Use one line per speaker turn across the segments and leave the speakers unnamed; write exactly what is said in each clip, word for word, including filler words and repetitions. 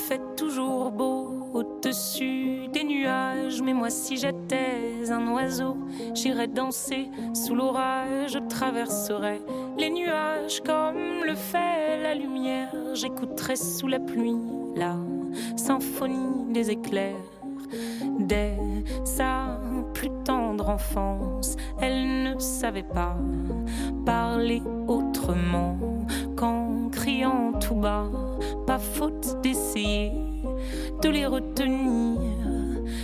fait toujours beau au-dessus des nuages, mais moi si j'étais un oiseau, j'irais danser sous l'orage, je traverserais les nuages comme le fait la lumière, j'écouterais sous la pluie la symphonie des éclairs. Dès sa plus tendre enfance, elle ne savait pas parler autrement qu'en criant tout bas. Pas faute d'essayer de les retenir,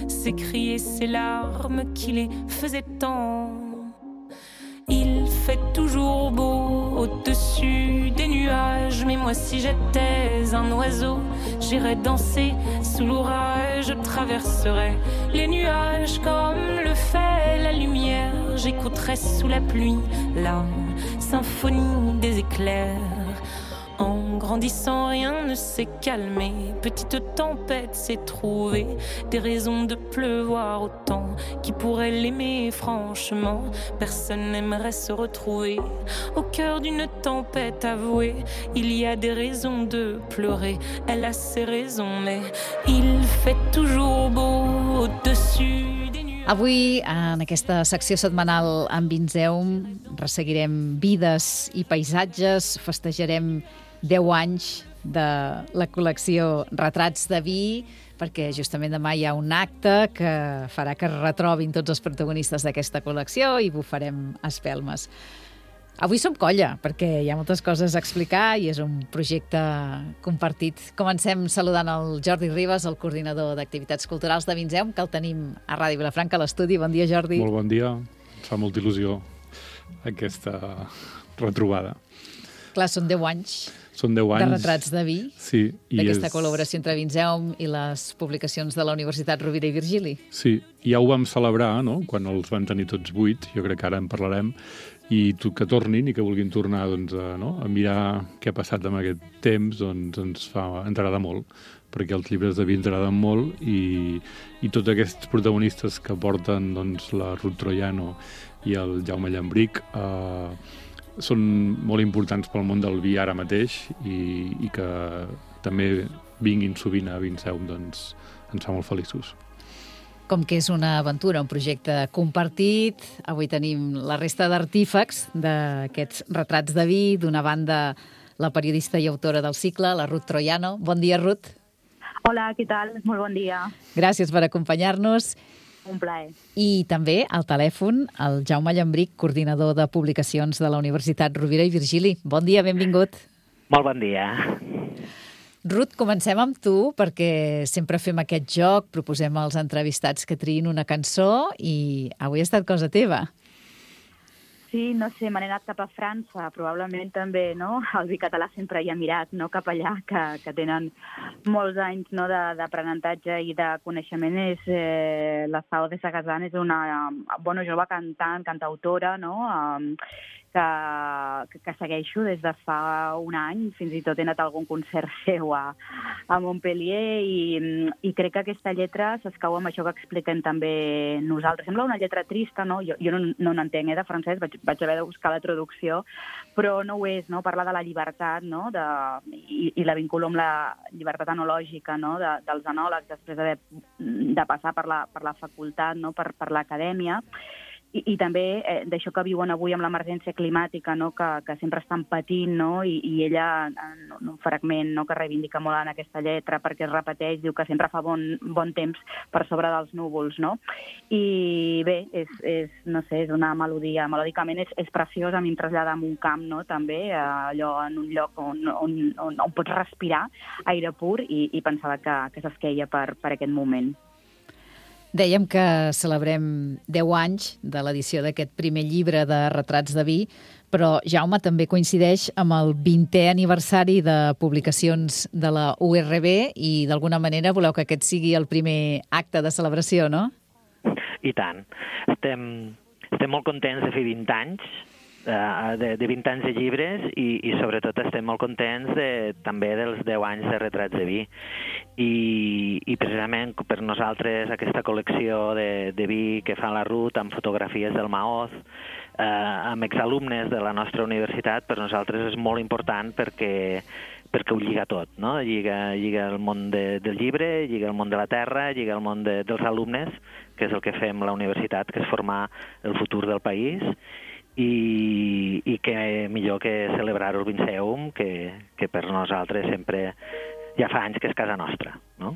s'écrier ces larmes qui les faisaient tant. Il fait toujours beau au-dessus des nuages, mais moi si j'étais un oiseau, j'irais danser sous l'orage, je traverserais les nuages comme le fait la lumière, j'écouterais sous la pluie la symphonie des éclairs. En grandissant, rien ne s'est calmé. Petite tempête s'est trouvée, des raisons de pleuvoir autant. Qui pourrait l'aimer franchement? Personne n'aimerait se retrouver au cœur d'une tempête avouée. Il y a des raisons de pleurer, elle a ses raisons, mais il fait toujours beau au-dessus des nuages.
Avui, en aquesta secció setmanal amb Vinzeum, resseguirem vides i paisatges, festejarem deu anys de la col·lecció Retrats de Vi, perquè justament demà hi ha un acte que farà que es retrobin tots els protagonistes d'aquesta col·lecció i bufarem espelmes. Avui som colla, perquè hi ha moltes coses a explicar i és un projecte compartit. Comencem saludant el Jordi Ribas, el coordinador d'activitats culturals de Vinzeum, que el tenim a Ràdio Vilafranca, a l'estudi. Bon dia, Jordi.
Molt bon dia. Em fa molta il·lusió aquesta retrobada.
Clar, són deu anys.
Són deu anys.
De Retrats de Vi,
sí,
d'aquesta
és...
col·laboració entre Vinzeum i les publicacions de la Universitat Rovira i Virgili.
Sí, ja ho vam celebrar, no?, quan els van tenir tots vuit, jo crec que ara en parlarem, i que tornin i que vulguin tornar doncs, a, no?, a mirar què ha passat amb aquest temps, doncs ens fa, ens agrada molt, perquè els llibres de Vi ens agraden molt i, i tots aquests protagonistes que porten doncs, la Ruth Troiano i el Jaume Llambric eh, són molt importants pel món del vi ara mateix i, i que també vinguin sovint a Vinzeum, doncs ens fa molt feliços.
Com que és una aventura, un projecte compartit, avui tenim la resta d'artífecs d'aquests Retrats de Vi, d'una banda la periodista i autora del cicle, la Ruth Troiano. Bon dia, Ruth.
Hola, què tal? Molt bon dia.
Gràcies per acompanyar-nos.
Un plaer.
I també al telèfon el Jaume Llambric, coordinador de publicacions de la Universitat Rovira i Virgili. Bon dia, benvingut.
Molt bon dia.
Ruth, comencem amb tu, perquè sempre fem aquest joc, proposem als entrevistats que triïn una cançó i avui ha estat cosa teva.
Sí, no sé, m'he anat cap a França, probablement també, no? El vi català sempre hi ha mirat, no? Cap allà, que, que tenen molts anys, no?, d'aprenentatge i de coneixement. És, eh, la Sao de Sagazan és una bona jove cantant, cantautora, no?, um, que, que segueixo des de fa un any, fins i tot he anat a algun concert seu a, a Montpellier i, i crec que aquesta lletra s'escau amb això que expliquem també nosaltres. Sembla una lletra trista, no? Jo, jo no, no n'entenc, eh, de francès, vaig, vaig haver de buscar la traducció, però no ho és, no? Parla de la llibertat, no?, de, i, i la vinculo amb la llibertat enològica, no?, de, dels enòlegs després d'haver de passar per la, per la facultat, no?, per, per l'acadèmia. I, i també eh, d'això que viuen avui amb l'emergència climàtica, no?, que, que sempre estan patint, no?, i, i ella, en un fragment, no?, que reivindica molt en aquesta lletra, perquè es repeteix, diu que sempre fa bon, bon temps per sobre dels núvols, no? I bé, és, és, no sé, és una melodia, melòdicament és, és preciosa, a mi em trasllada en un camp, no?, també, allò en un lloc on, on, on, on pots respirar aire pur i, i pensava que, que s'esqueia per, per aquest moment.
Dèiem que celebrem deu anys de l'edició d'aquest primer llibre de Retrats de Vi, però Jaume també coincideix amb el vintè aniversari de publicacions de la U R B i d'alguna manera voleu que aquest sigui el primer acte de celebració, no?
I tant. Estem, estem molt contents de fer vint anys, de, de vint anys de llibres i, i sobretot estem molt contents de, també dels deu anys de Retrats de Vi. I, i precisament per nosaltres aquesta col·lecció de, de vi que fa la Ruth amb fotografies del Maoz, eh, amb exalumnes de la nostra universitat, per nosaltres és molt important perquè, perquè ho lliga tot, no? Lliga, lliga el món de, del llibre, lliga el món de la terra, lliga el món de, dels alumnes, que és el que fem a la universitat, que és formar el futur del país, i, i que millor que celebrar-ho el Vinceum, que, que per nosaltres sempre ja fa anys que és casa nostra, no?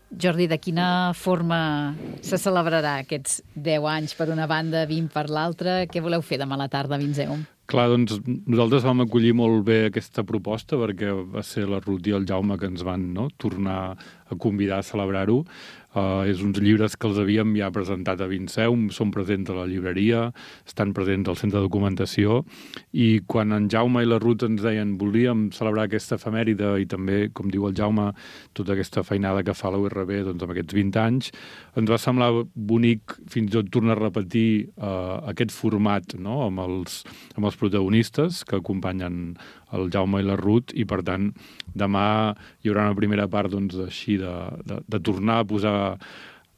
Jordi, de quina forma se celebrarà aquests deu anys per una banda, vint per l'altra? Què voleu fer demà a la tarda a Vinceum?
Clar, doncs nosaltres vam acollir molt bé aquesta proposta perquè va ser la Ruth i el Jaume que ens van, no?, tornar a convidar a celebrar-ho. Uh, és uns llibres que els havíem ja presentat a Vinceum, són presents a la llibreria, estan presents al centre de documentació, i quan en Jaume i la Ruth ens deien volíem celebrar aquesta efemèride i també, com diu el Jaume, tota aquesta feinada que fa la U R B doncs, amb aquests vint anys, ens va semblar bonic fins i tot tornar a repetir uh, aquest format, no?, amb els, amb els protagonistes que acompanyen el Jaume i la Ruth, i per tant demà hi haurà una primera part doncs, així de, de, de tornar a posar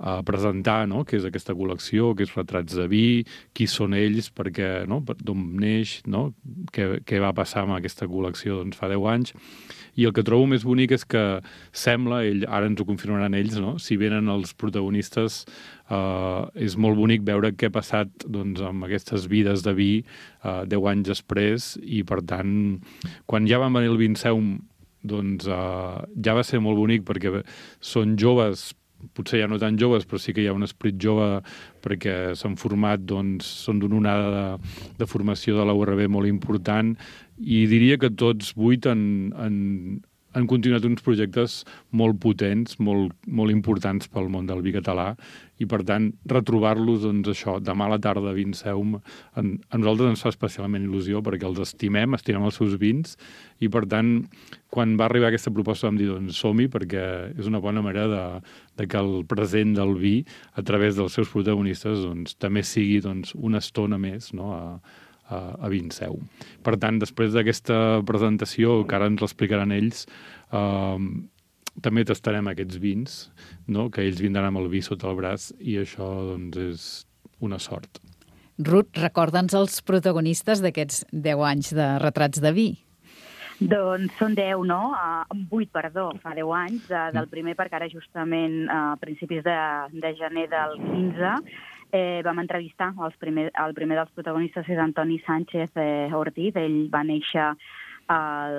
a presentar, no?, què és aquesta col·lecció, què és Retrats de vi, qui són ells, perquè, no?, d'on neix, no?, què, què va passar amb aquesta col·lecció doncs, fa deu anys. I el que trobo més bonic és que sembla, ell, ara ens ho confirmaran ells, no?, si venen els protagonistes, eh, és molt bonic veure què ha passat doncs, amb aquestes vides de vi eh, deu anys després, i per tant, quan ja van venir el Vinceum, doncs eh, ja va ser molt bonic perquè són joves, potser ja no tan joves, però sí que hi ha un esperit jove perquè s'han format, doncs, són d'una onada de, de formació de la U R B molt important, i diria que tots vuit han, han, han continuat uns projectes molt potents, molt, molt importants pel món del vi català, i per tant retrobar-los, doncs això, demà a la tarda a Vinceum, a, a nosaltres ens fa especialment il·lusió perquè els estimem, estimem els seus vins, i per tant, quan va arribar aquesta proposta vam dir, doncs som-hi, perquè és una bona manera de, de que el present del vi, a través dels seus protagonistes, doncs, també sigui doncs, una estona més, no?, a, a, a Vinceum. Per tant, després d'aquesta presentació, que ara ens l'explicaran ells, eh, també tastarem aquests vins, no?, que ells vindran amb el vi sota el braç, i això doncs, és una sort.
Ruth, recorda'ns els protagonistes d'aquests deu anys de Retrats de vi.
Doncs són deu, no? Uh, vuit, perdó, fa deu anys, uh, del primer, perquè ara justament a uh, principis de, de gener del quinze eh, vam entrevistar els primer, el primer dels protagonistes, és Antoni Sánchez eh, Ortiz. Ell va néixer al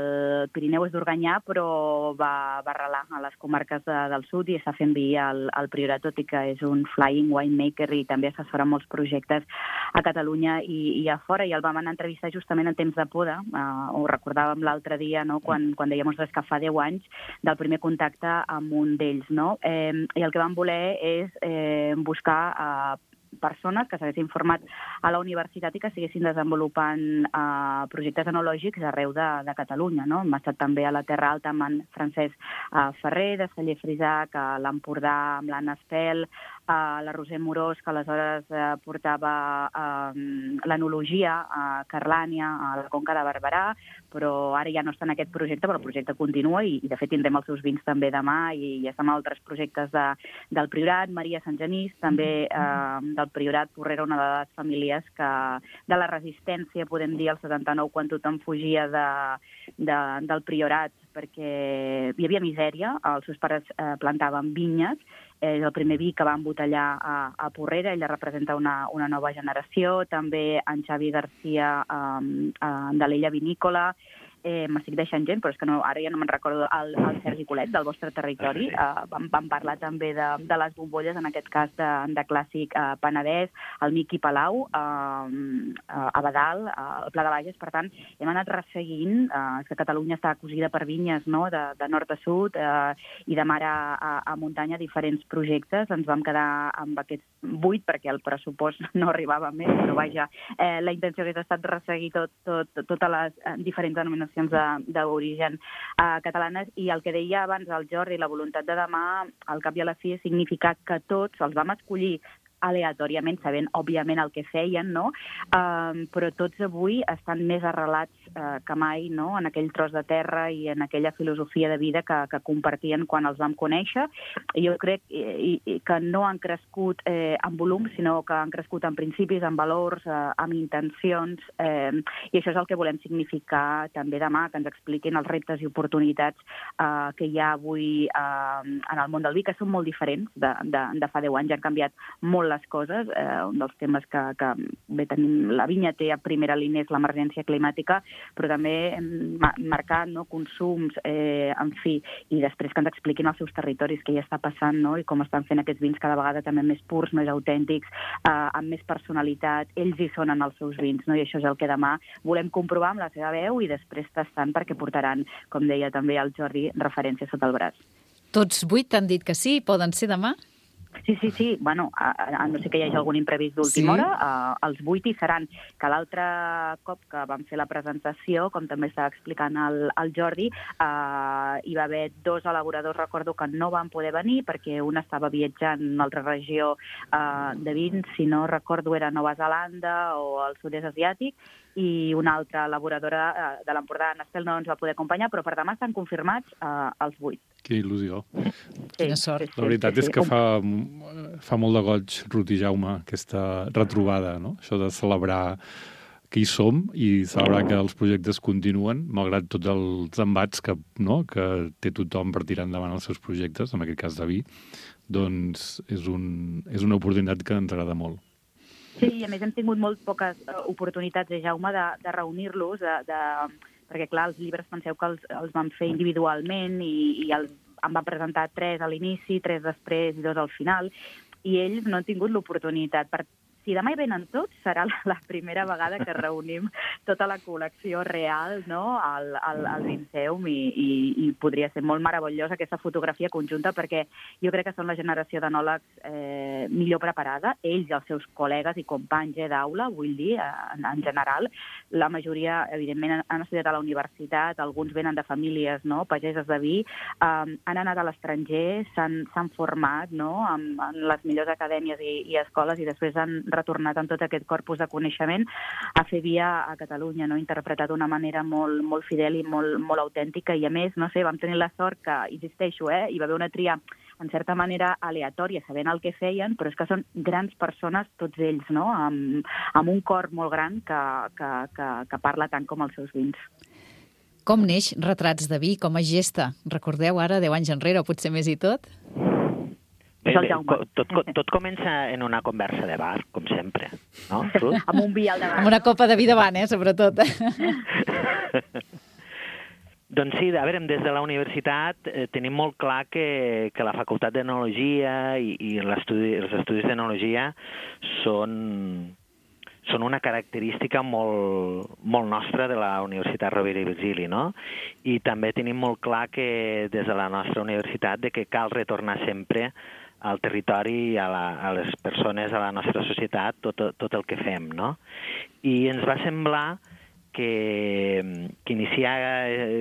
Pirineu, és d'Organyà, però va, va arrelar a les comarques de, del sud i està fent vi al, al Priorat, tot i que és un flying winemaker i també assessora molts projectes a Catalunya i, i a fora. I el vam anar a entrevistar justament en temps de poda. Uh, ho recordàvem l'altre dia, no?, quan, quan dèiem ostres, que fa deu anys del primer contacte amb un d'ells, no? Eh, I el que vam voler és eh, buscar uh, persones que s'haguessin format a la universitat i que estiguessin desenvolupant eh, projectes enològics arreu de, de Catalunya, no? Hem estat també a la Terra Alta amb en Francesc eh, Ferrer, de Celler Frisac, a l'Empordà amb l'Anna Espel, a la Roser Morós, que aleshores eh, portava eh, l'enologia a Carlània, a la Conca de Barberà, però ara ja no està en aquest projecte, però el projecte continua i, i de fet tindrem els seus vins també demà, i ja estem a altres projectes de, del Priorat. Maria Sant Genís, també eh, del Priorat, Porrera, una de les famílies que de la resistència, podem dir, al setanta-nou, quan tothom fugia de, de, del Priorat, perquè hi havia misèria, els seus pares eh, plantaven vinyes, és el primer vi que va embotellar a, a Porrera, ella representa una, una nova generació, també en Xavi Garcia eh, eh, de l'Ella Vinícola, eh, m'estic deixant gent, però és que no, ara ja no me'n recordo, el, el Sergi Colet, del vostre territori, eh, vam, vam parlar també de, de les bombolles, en aquest cas de, de clàssic eh, Penedès, el Miqui Palau, eh, a Badal, eh, el Pla de Bages. Per tant, hem anat resseguint, eh, que Catalunya està cosida per vinyes, no?, de, de nord a sud, eh, i de mar a, a, a muntanya, diferents projectes. Ens vam quedar amb aquests vuit, perquè el pressupost no arribava més, però vaja, eh, la intenció hauria estat resseguir tot, tot, totes les eh, diferents denominacions d'origen uh, catalanes, i el que deia abans el Jordi, la voluntat de demà, al cap i a la fi, significa que tots els vam escollir aleatòriament, sabent, òbviament, el que feien, no? Um, però tots avui estan més arrelats uh, que mai, no?, en aquell tros de terra i en aquella filosofia de vida que, que compartien quan els vam conèixer. I jo crec i, i, que no han crescut eh, en volum, sinó que han crescut en principis, en valors, eh, amb intencions, eh, i això és el que volem significar també demà, que ens expliquin els reptes i oportunitats eh, que hi ha avui eh, en el món del vi, que són molt diferents de, de, de fa deu anys, ja han canviat molt les coses. Eh, un dels temes que, que bé, tenim, la vinya té a primera línia és l'emergència climàtica, però també ma marcar, no, consums, eh, en fi, i després que ens expliquin els seus territoris, què hi està passant, no?, i com estan fent aquests vins cada vegada també més purs, més autèntics, eh, amb més personalitat. Ells hi són en els seus vins, no?, i això és el que demà volem comprovar amb la seva veu i després tastant, perquè portaran, com deia també el Jordi, referència sota el braç.
Tots vuit han dit que sí, poden ser demà?
Sí, sí, sí. Bueno, a, a no sé que hi hagi algun imprevist d'última
sí.
hora, uh, els vuit hi seran. Que l'altre cop que vam fer la presentació, com també estava explicant el, el Jordi, uh, hi va haver dos elaboradors, recordo, que no van poder venir perquè un estava viatjant en una altra regió uh, de vins, si no recordo era Nova Zelanda o el sud-est asiàtic, i una altra elaboradora uh, de l'Empordà, Nastel, no ens va poder acompanyar, però per demà estan confirmats uh, els vuit.
Quina il·lusió.
Sí, Quina sort.
La veritat sí, sí, és que fa, fa molt de goig, Ruth i Jaume, aquesta retrobada, no? Això de celebrar que hi som i celebrar que els projectes continuen, malgrat tots els embats que, no, que té tothom per tirar endavant els seus projectes, en aquest cas de vi, doncs és, un, és una oportunitat que ens agrada molt.
Sí, i a més hem tingut molt poques oportunitats, eh, Jaume, de, de reunir-los, de, de, perquè, clar, els llibres penseu que els, els vam fer individualment i, i el, em van presentar tres a l'inici, tres després i dos al final, i ells no han tingut l'oportunitat. Per Si demà hi venen tots, serà la primera vegada que reunim tota la col·lecció real, no?, al, al, al Vinceum, i, i, i podria ser molt meravellosa aquesta fotografia conjunta, perquè jo crec que són la generació d'enòlegs eh, millor preparada, ells i els seus col·legues i companys eh, d'aula, vull dir, en, en general. La majoria, evidentment, han estudiat a la universitat, alguns venen de famílies, no?, pageses de vi, eh, han anat a l'estranger, s'han format, no?, en, en les millors acadèmies i, i escoles, i després han retornat amb tot aquest corpus de coneixement a fer via a Catalunya, no? Interpretat d'una manera molt, molt fidel i molt, molt autèntica, i a més, no sé, vam tenir la sort que, insisteixo, eh, hi va haver una tria en certa manera aleatòria, sabent el que feien, però és que són grans persones, tots ells, no?, amb, amb un cor molt gran que, que, que, que parla tant com els seus vins.
Com neix Retrats de vi com a gesta? Recordeu ara, deu anys enrere, o potser més i tot?
Bé, bé, tot, tot comença en una conversa de bar, com sempre, no, Ruth?
Amb un vi al davant.
Amb una copa de vi davant, eh, sobretot.
Doncs sí, a veure, des de la universitat eh, tenim molt clar que, que la Facultat d'Enologia i, i l'estudi, els estudis d'Enologia són, són una característica molt, molt nostra de la Universitat Rovira i Virgili, no? I també tenim molt clar que des de la nostra universitat de que cal retornar sempre al territori, a, la, a les persones, a la nostra societat, tot, tot el que fem, no? I ens va semblar que, que iniciar,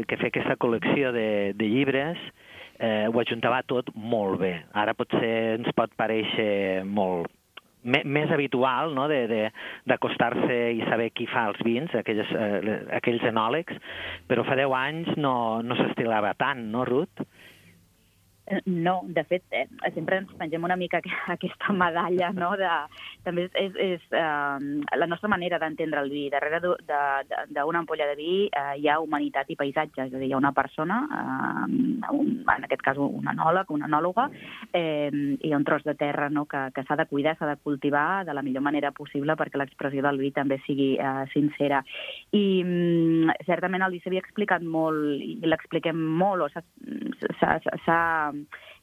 que fer aquesta col·lecció de, de llibres eh, ho ajuntava tot molt bé. Ara potser ens pot parèixer molt més habitual, no?, d'acostar-se i saber qui fa els vins, aquells, eh, aquells enòlegs, però fa deu anys no, no s'estilava tant, no, Ruth?
No, de fet, eh, sempre ens pengem una mica aquesta medalla, no?, de, també és, és, és eh, la nostra manera d'entendre el vi. Darrere d'una ampolla de vi eh, hi ha humanitat i paisatge, és a dir, hi ha una persona, eh, un, en aquest cas un enòleg, una enòloga, eh, i hi ha un tros de terra, no?, que, que s'ha de cuidar, s'ha de cultivar de la millor manera possible perquè l'expressió del vi també sigui eh, sincera. I mm, certament el vi s'havia explicat molt, i l'expliquem molt, o s'ha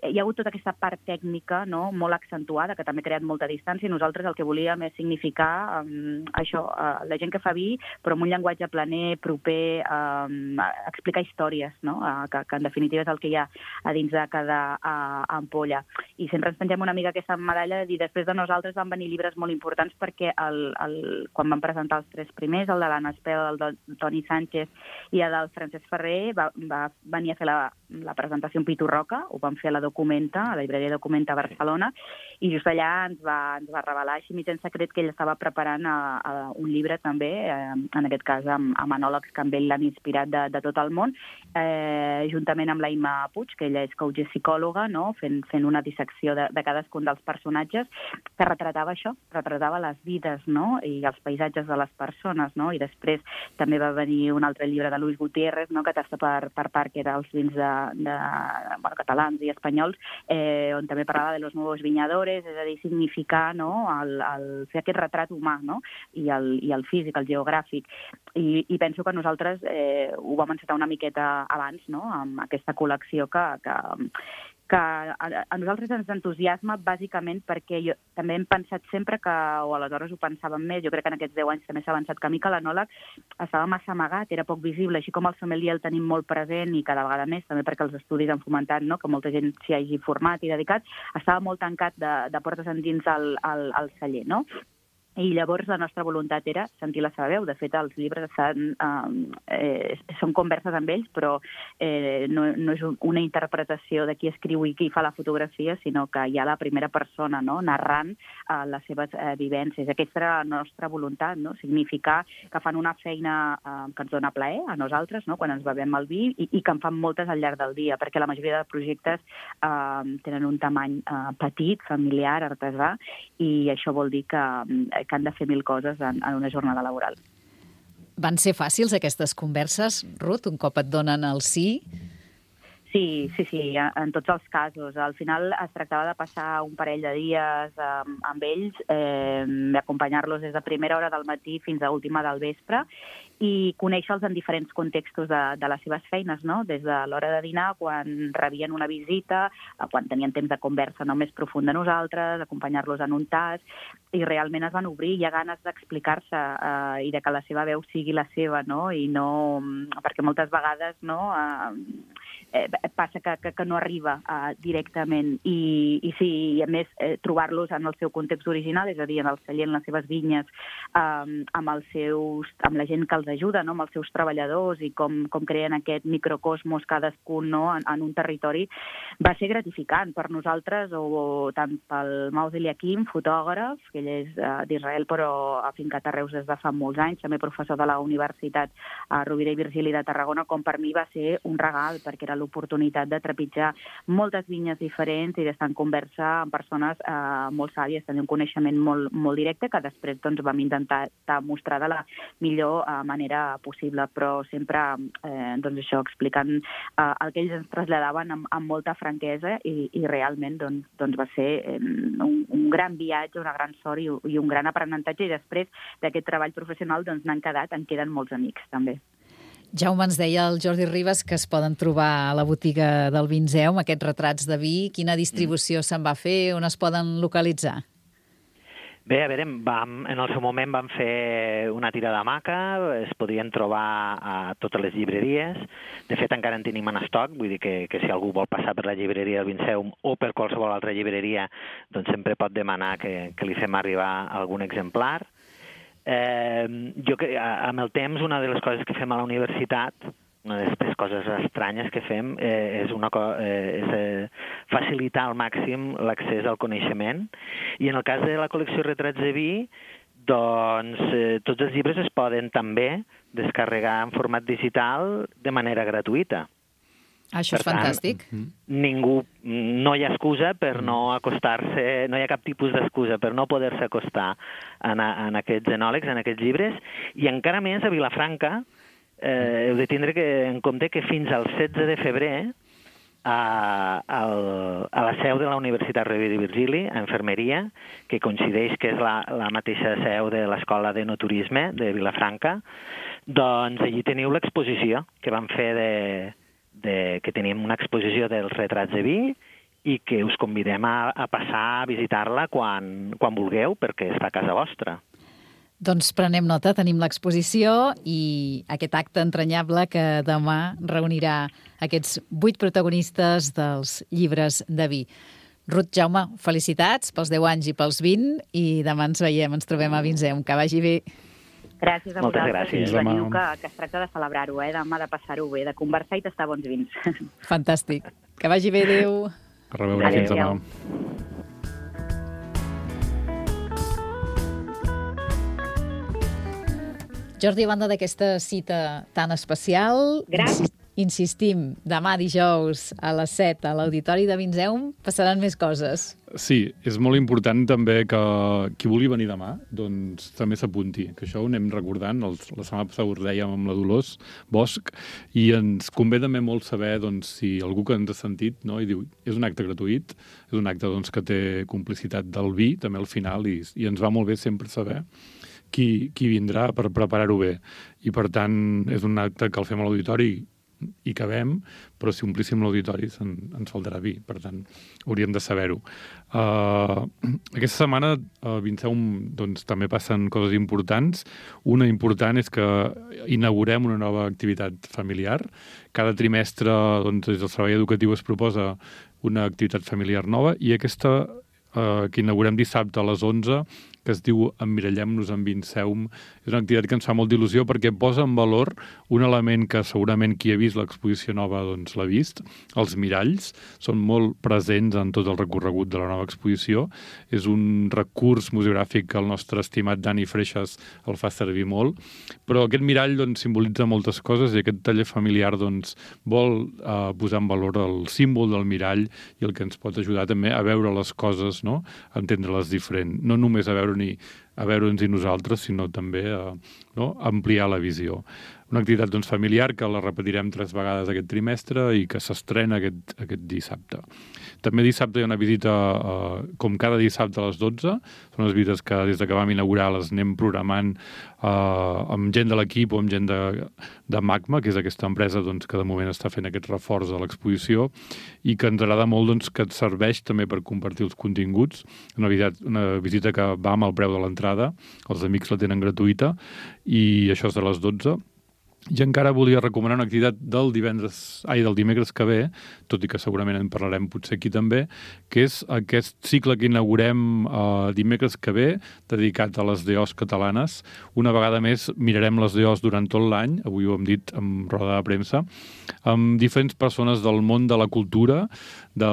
hi ha hagut tota aquesta part tècnica, no?, molt accentuada, que també ha creat molta distància, i nosaltres el que volíem és significar um, això, uh, la gent que fa vi, però amb un llenguatge planer, proper, um, explicar històries, no?, uh, que, que en definitiva és el que hi ha a dins de cada uh, ampolla. I sempre ens pengem una mica aquesta medalla de dir, després de nosaltres van venir llibres molt importants, perquè el, el, quan van presentar els tres primers, el de l'Anna Espel, el de Toni Sánchez i el del Francesc Ferrer, va, va venir a fer la, la presentació en Pitu Roca, ho van fer a la Documenta, a la llibreria Documenta a Barcelona, i just allà ens va, ens va revelar així mig en secret que ell estava preparant a, a un llibre també, eh, en aquest cas amb, amb enòlegs que amb ell l'han inspirat de, de tot el món, eh, juntament amb la Imma Puig, que ella és coach i psicòloga, no? fent, fent una dissecció de, de cadascun dels personatges, que retratava això, retratava les vides, no? I els paisatges de les persones, no? I després també va venir un altre llibre de Luis Gutiérrez, no? Que tasta per, per part, que era els vins de, de, bueno, catalans i espanyols, eh, on també parlava de los nuevos viñadores, és a dir, significar, no? el, el, fer aquest retrat humà, no? I el, i el físic, el geogràfic. I, i penso que nosaltres eh, ho vam encetar una miqueta abans, no? Amb aquesta col·lecció que, que, que a, a nosaltres ens entusiasma bàsicament perquè jo, també hem pensat sempre que, o aleshores ho pensàvem més, jo crec que en aquests deu anys també s'ha avançat camí, que l'enòleg estava massa amagat, era poc visible, així com el sommelier el tenim molt present i cada vegada més, també perquè els estudis han fomentat, no? Que molta gent s'hi hagi format i dedicat, estava molt tancat de, de portes endins al, al, al celler, no? I llavors la nostra voluntat era sentir la seva veu. De fet, els llibres estan, eh, són converses amb ells, però eh, no, no és una interpretació de qui escriu i qui fa la fotografia, sinó que hi ha la primera persona, no? Narrant eh, les seves eh, vivències. Aquesta era la nostra voluntat, no? Significar que fan una feina eh, que ens dona plaer a nosaltres, no? Quan ens bevem el vi, i, i que en fan moltes al llarg del dia, perquè la majoria de projectes eh, tenen un tamany eh, petit, familiar, artesà, i això vol dir que eh, que han de fer mil coses en, en una jornada laboral.
Van ser fàcils aquestes converses, Ruth, un cop et donen el sí?
Sí, sí, sí, en tots els casos. Al final es tractava de passar un parell de dies amb, amb ells, eh, d'acompanyar-los des de primera hora del matí fins a última del vespre i conèixer-los en diferents contextos de, de les seves feines, no? Des de l'hora de dinar, quan rebien una visita, quan tenien temps de conversa no més profunda nosaltres, acompanyar-los en un tas, i realment es van obrir, hi ha ganes d'explicar-se eh, i de que la seva veu sigui la seva, no? I no, perquè moltes vegades, no, eh, eh, passa que, que, que no arriba eh, directament, i, i sí, i a més eh, trobar-los en el seu context original, és a dir, en el celler, en les seves vinyes, eh, amb els seus, amb la gent que els ajuda, no? Amb els seus treballadors, i com, com creen aquest microcosmos cadascun, no? en, en un territori, va ser gratificant per nosaltres, o, o tant pel Maus Eliakim, fotògraf, que ell és uh, d'Israel però afincat a Reus des de fa molts anys, també professor de la Universitat uh, Rovira i Virgili de Tarragona, com per mi va ser un regal, perquè era l'oportunitat de trepitjar moltes vinyes diferents i d'estar en conversa amb persones uh, molt sàvies, tenir un coneixement molt, molt directe, que després doncs, vam intentar mostrar de la millor uh, manera possible, però sempre eh, doncs això, explicant eh, el que ells ens traslladaven amb, amb molta franquesa, i, i realment doncs, doncs va ser eh, un, un gran viatge, una gran sort i, i un gran aprenentatge, i després d'aquest treball professional doncs n'han quedat, en queden molts amics també.
Jaume, ens deia el Jordi Ribas que es poden trobar a la botiga del Vinzeum aquests retrats de vi. Quina distribució mm. se'n va fer? On es poden localitzar?
Bé, a veure, vam, en el seu moment vam fer una tira de maca, es podien trobar a totes les llibreries. De fet, encara en tenim en estoc, vull dir que, que si algú vol passar per la llibreria del Vinzeum o per qualsevol altra llibreria, doncs sempre pot demanar que, que li fem arribar algun exemplar. Eh, jo, amb el temps, una de les coses que fem a la universitat, una de les coses estranyes que fem eh, és, una, eh, és eh, facilitar al màxim l'accés al coneixement. I en el cas de la col·lecció Retrats de Vi, doncs eh, tots els llibres es poden també descarregar en format digital de manera gratuïta.
Això és per fantàstic.
Tant, ningú, no hi ha excusa per no acostar-se, no hi ha cap tipus d'excusa per no poder-se acostar en, a, en aquests enòlegs, en aquests llibres, i encara més a Vilafranca, Eh, heu de tindre que, en compte que fins al setze de febrer a, a, a la seu de la Universitat Rovira i Virgili, a Infermeria, que coincideix que és la, la mateixa seu de l'Escola de Noturisme de Vilafranca, doncs allí teniu l'exposició que vam fer de, de, que tenim una exposició dels retrats de vi, i que us convidem a, a passar a visitar-la quan, quan vulgueu, perquè està a casa vostra.
Doncs prenem nota, tenim l'exposició i aquest acte entranyable que demà reunirà aquests vuit protagonistes dels llibres de vi. Ruth, Jaume, felicitats pels deu anys i pels vint, i demà ens veiem, ens trobem a Vinzeum. Que vagi bé.
Gràcies a
Moltes
vosaltres.
gràcies.
I veniu que, que es tracta de celebrar-ho, eh? Demà de passar-ho bé, de conversar i tastar bons vins.
Fantàstic. Que vagi bé, adéu.
A reveure, fins demà.
Jordi, a banda d'aquesta cita tan especial,
Gràcies.
insistim, demà dijous a les set a l'Auditori de Vinzeum passaran més coses.
Sí, és molt important també que qui vulgui venir demà doncs també s'apunti, que això ho anem recordant. Els, la setmana passada ho dèiem amb la Dolors Bosch, i ens convé també molt saber doncs, si algú que ens ha sentit, no, i diu, és un acte gratuït, és un acte doncs, que té complicitat del vi també al final, i, i ens va molt bé sempre saber qui, qui vindrà per preparar-ho bé. I, per tant, és un acte que el fem a l'auditori i cabem, però si omplíssim l'auditori en, ens faltarà vi. Per tant, hauríem de saber-ho. Uh, aquesta setmana a Vinceum doncs, també passen coses importants. Una important és que inaugurem una nova activitat familiar. Cada trimestre doncs, des del servei educatiu es proposa una activitat familiar nova, i aquesta uh, que inaugurem dissabte a les onze, que es diu Emmirallem-nos en Vinceum. És una activitat que ens fa molt d'il·lusió perquè posa en valor un element que segurament qui ha vist l'exposició nova doncs, l'ha vist. Els miralls són molt presents en tot el recorregut de la nova exposició. És un recurs museogràfic que el nostre estimat Dani Freixas el fa servir molt, però aquest mirall doncs, simbolitza moltes coses, i aquest taller familiar doncs, vol eh, posar en valor el símbol del mirall i el que ens pot ajudar també a veure les coses, no? A entendre-les diferent. No només a veure ni a veure'ns i nosaltres, sinó també a, no, ampliar la visió. Una activitat doncs, familiar que la repetirem tres vegades aquest trimestre i que s'estrena aquest, aquest dissabte. També dissabte hi ha una visita, eh, com cada dissabte a les dotze. Són unes visites que des de que vam inaugurar les anem programant eh, amb gent de l'equip o amb gent de, de Magma, que és aquesta empresa doncs, que de moment està fent aquest reforç de l'exposició, i que ens agrada molt doncs, que et serveix també per compartir els continguts. Una visita, una visita que va amb el preu de l'entrada, els amics la tenen gratuïta, i això és de les dotze. I encara volia recomanar una activitat del divendres, ai, del dimecres que ve, tot i que segurament en parlarem potser aquí també, que és aquest cicle que inaugurem eh, dimecres que ve, dedicat a les D Os catalanes. Una vegada més mirarem les D Os durant tot l'any, avui ho hem dit en roda de premsa, amb diferents persones del món de la cultura, de,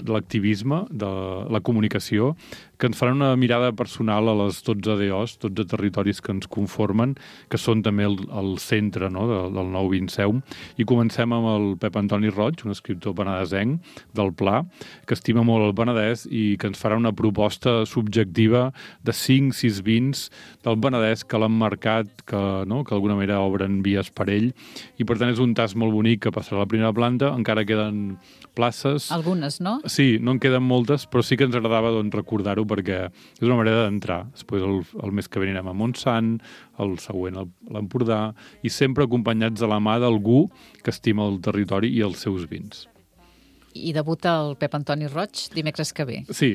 de l'activisme, de la comunicació, que ens faran una mirada personal a les dotze D Os, dotze territoris que ens conformen, que són també el, el centre, no?, de, del nou Vinceum. I comencem amb el Pep Antoni Roig, un escriptor penedesenc del Pla, que estima molt el Penedès i que ens farà una proposta subjectiva de cinc sis vins del Penedès que l'han marcat, que, no?, que d'alguna manera obren vies per ell. I per tant és un tast molt bonic que passarà a la primera planta. Encara queden places.
Algunes, no?
Sí, no en queden moltes, però sí que ens agradava doncs, recordar-ho, perquè és una manera d'entrar. Després el, el mes que ve anirem a Montsant, el següent a l'Empordà, i sempre acompanyats de la mà d'algú que estima el territori i els seus vins.
I debuta el Pep Antoni Roig dimecres que ve.
Sí,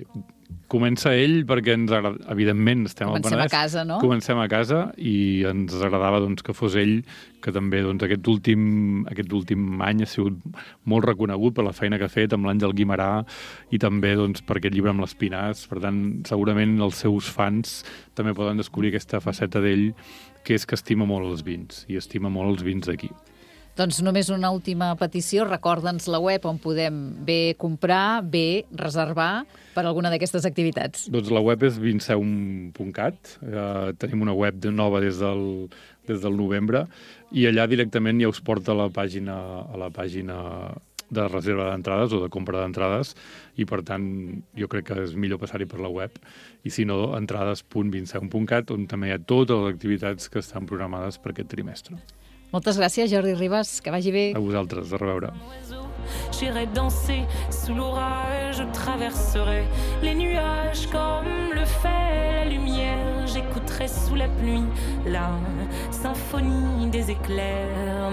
comença ell perquè ens agrada, evidentment estem
Comencem
al Penedès.
a casa, no?
Comencem a casa, i ens agradava doncs, que fos ell, que també doncs, aquest, últim, aquest últim any ha sigut molt reconegut per la feina que ha fet amb l'Àngel Guimarà i també doncs, per aquest llibre amb l'Espinàs. Per tant, segurament els seus fans també poden descobrir aquesta faceta d'ell, que és que estima molt els vins, i estima molt els vins d'aquí.
Doncs només una última petició, recorda'ns la web on podem bé comprar, bé reservar per alguna d'aquestes activitats.
Doncs la web és vinceum punt cat, eh, tenim una web nova des del, des del novembre, i allà directament ja us porta a la pàgina, a la pàgina de reserva d'entrades o de compra d'entrades, i per tant jo crec que és millor passar-hi per la web, i si no, entrades punt vinceum punt cat, on també hi ha totes les activitats que estan programades per aquest trimestre.
Moltes gràcies, Jordi Ribas, que vagi bé.
A vosaltres, a reveure.
J'irai danser sous l'orage, je traverserai les nuages comme le fait la lumière. J'écouterai sous la pluie la symphonie des éclairs.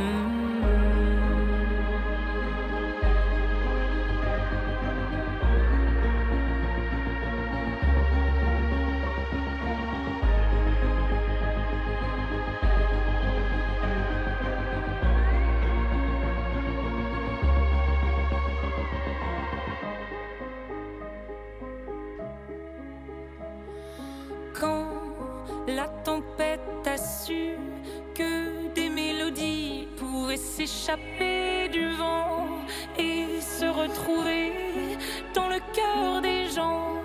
La tempête a su que des mélodies pouvaient s'échapper du vent et se retrouver le cœur des gens,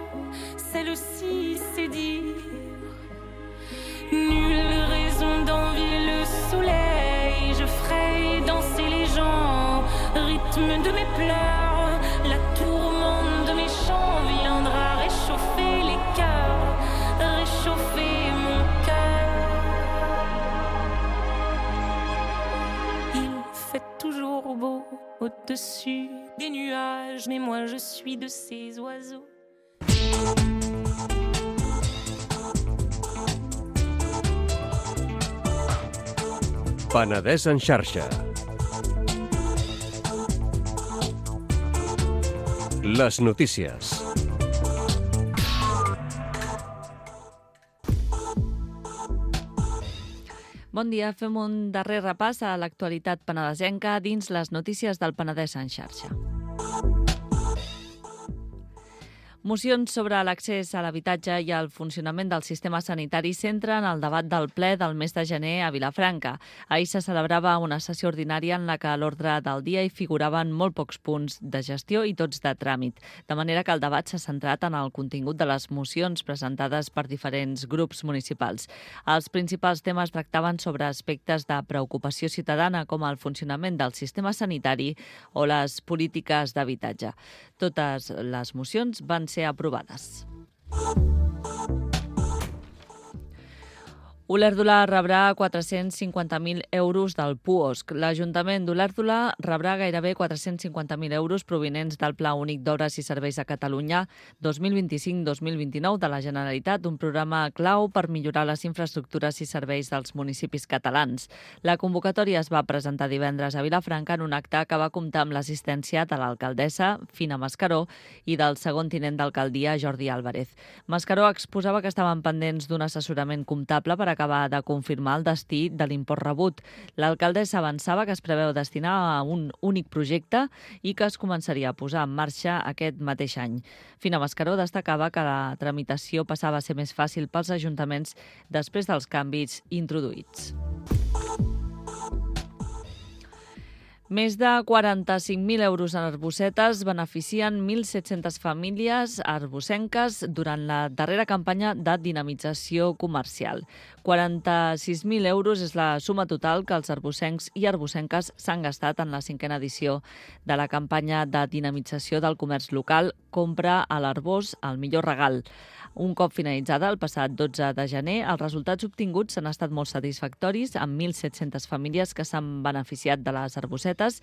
celle-ci c'est dire. Nulle raison d'envier le soleil, je ferai danser les gens, rythme de mes pleurs, la tourmente de mes chants viendra réchauffer les cœurs, réchauffer mon cœur. Il fait toujours beau au-dessus des nuages, mais moi je suis de ces oiseaux.
Penedès en xarxa. Les notícies.
Bon dia, fem un darrer repàs a l'actualitat penedesenca dins les notícies del Penedès en xarxa. Mocions sobre l'accés a l'habitatge i el funcionament del sistema sanitari centren el debat del ple del mes de gener a Vilafranca. Ahir se celebrava una sessió ordinària en la que a l'ordre del dia hi figuraven molt pocs punts de gestió i tots de tràmit, de manera que el debat s'ha centrat en el contingut de les mocions presentades per diferents grups municipals. Els principals temes tractaven sobre aspectes de preocupació ciutadana com el funcionament del sistema sanitari o les polítiques d'habitatge. Totes les mocions van ser aprovades. Olèrdola rebrà quatre-cents cinquanta mil euros del P U O S C. L'Ajuntament d'Olèrdola rebrà gairebé quatre-cents cinquanta mil euros provinents del Pla Únic d'Obres i Serveis a Catalunya dos mil vint-i-cinc dos mil vint-i-nou de la Generalitat, un programa clau per millorar les infraestructures i serveis dels municipis catalans. La convocatòria es va presentar divendres a Vilafranca en un acte que va comptar amb l'assistència de l'alcaldessa, Fina Mascaró, i del segon tinent d'alcaldia, Jordi Álvarez. Mascaró exposava que estaven pendents d'un assessorament comptable per acabar de confirmar el destí de l'import rebut. L'alcaldessa avançava que es preveu destinar a un únic projecte i que es començaria a posar en marxa aquest mateix any. Fina Mascaró destacava que la tramitació passava a ser més fàcil pels ajuntaments després dels canvis introduïts. Més de quaranta-cinc mil euros en arbocetes beneficien mil set-centes famílies arbocenques durant la darrera campanya de dinamització comercial. quaranta-sis mil euros és la suma total que els arbocencs i arbocenques s'han gastat en la cinquena edició de la campanya de dinamització del comerç local Compra a l'Arbós el millor regal. Un cop finalitzada el passat dotze de gener, els resultats obtinguts han estat molt satisfactoris, amb mil set-centes famílies que s'han beneficiat de les arbocetes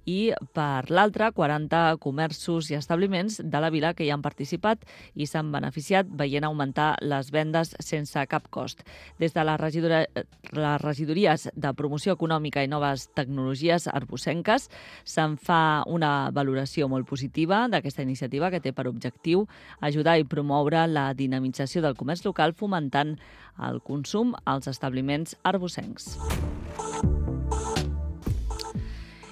i, per l'altra, quaranta comerços i establiments de la vila que hi han participat i s'han beneficiat veient augmentar les vendes sense cap cost. Des de les, regidora, les regidories de Promoció Econòmica i Noves Tecnologies arbocenques se'n fa una valoració molt positiva d'aquesta iniciativa que té per objectiu ajudar i promoure la dinamització del comerç local fomentant el consum als establiments arbocencs.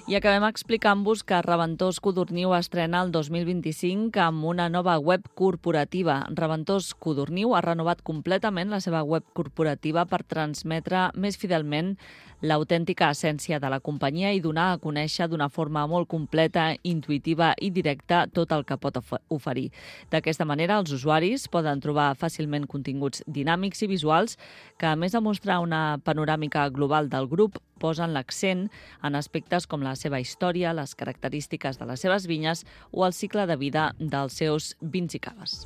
I acabem explicant-vos que Reventós Codorniu estrena el dos mil vint-i-cinc amb una nova web corporativa. Reventós Codorniu ha renovat completament la seva web corporativa per transmetre més fidelment l'autèntica essència de la companyia i donar a conèixer d'una forma molt completa, intuïtiva i directa tot el que pot oferir. D'aquesta manera, els usuaris poden trobar fàcilment continguts dinàmics i visuals que, a més de mostrar una panoràmica global del grup, posen l'accent en aspectes com la seva història, les característiques de les seves vinyes o el cicle de vida dels seus vins i caves.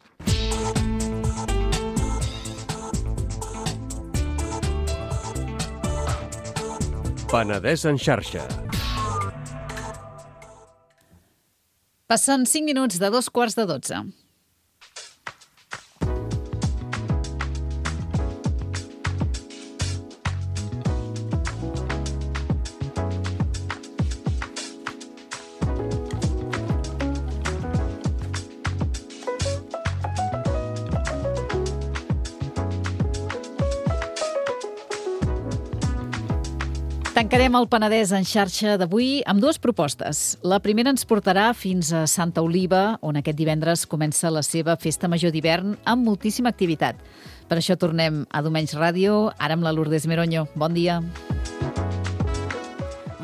Penedès en xarxa.
Passen cinc minuts de dos quarts de dotze. Tancarem el Penedès en xarxa d'avui amb dues propostes. La primera ens portarà fins a Santa Oliva, on aquest divendres comença la seva festa major d'hivern amb moltíssima activitat. Per això tornem a Domenys Ràdio, ara amb la Lourdes Meroño. Bon dia.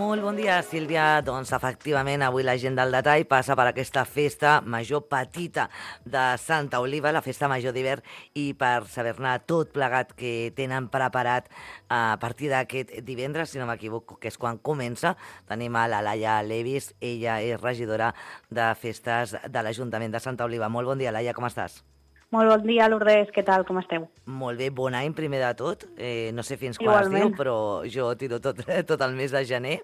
Molt bon dia, Sílvia. Doncs efectivament avui la gent del detall passa per aquesta festa major petita de Santa Oliva, la festa major d'hivern, i per saber-ne tot plegat que tenen preparat a partir d'aquest divendres, si no m'equivoco, que és quan comença, tenim a la Laia Levis. Ella és regidora de festes de l'Ajuntament de Santa Oliva. Molt bon dia, Laia, com estàs?
Molt bon dia, Lourdes, què tal, com esteu?
Molt bé, bon any primer de tot. Eh, no sé fins quan
Igualment.
es diu, però jo tiro tot, tot el mes de gener.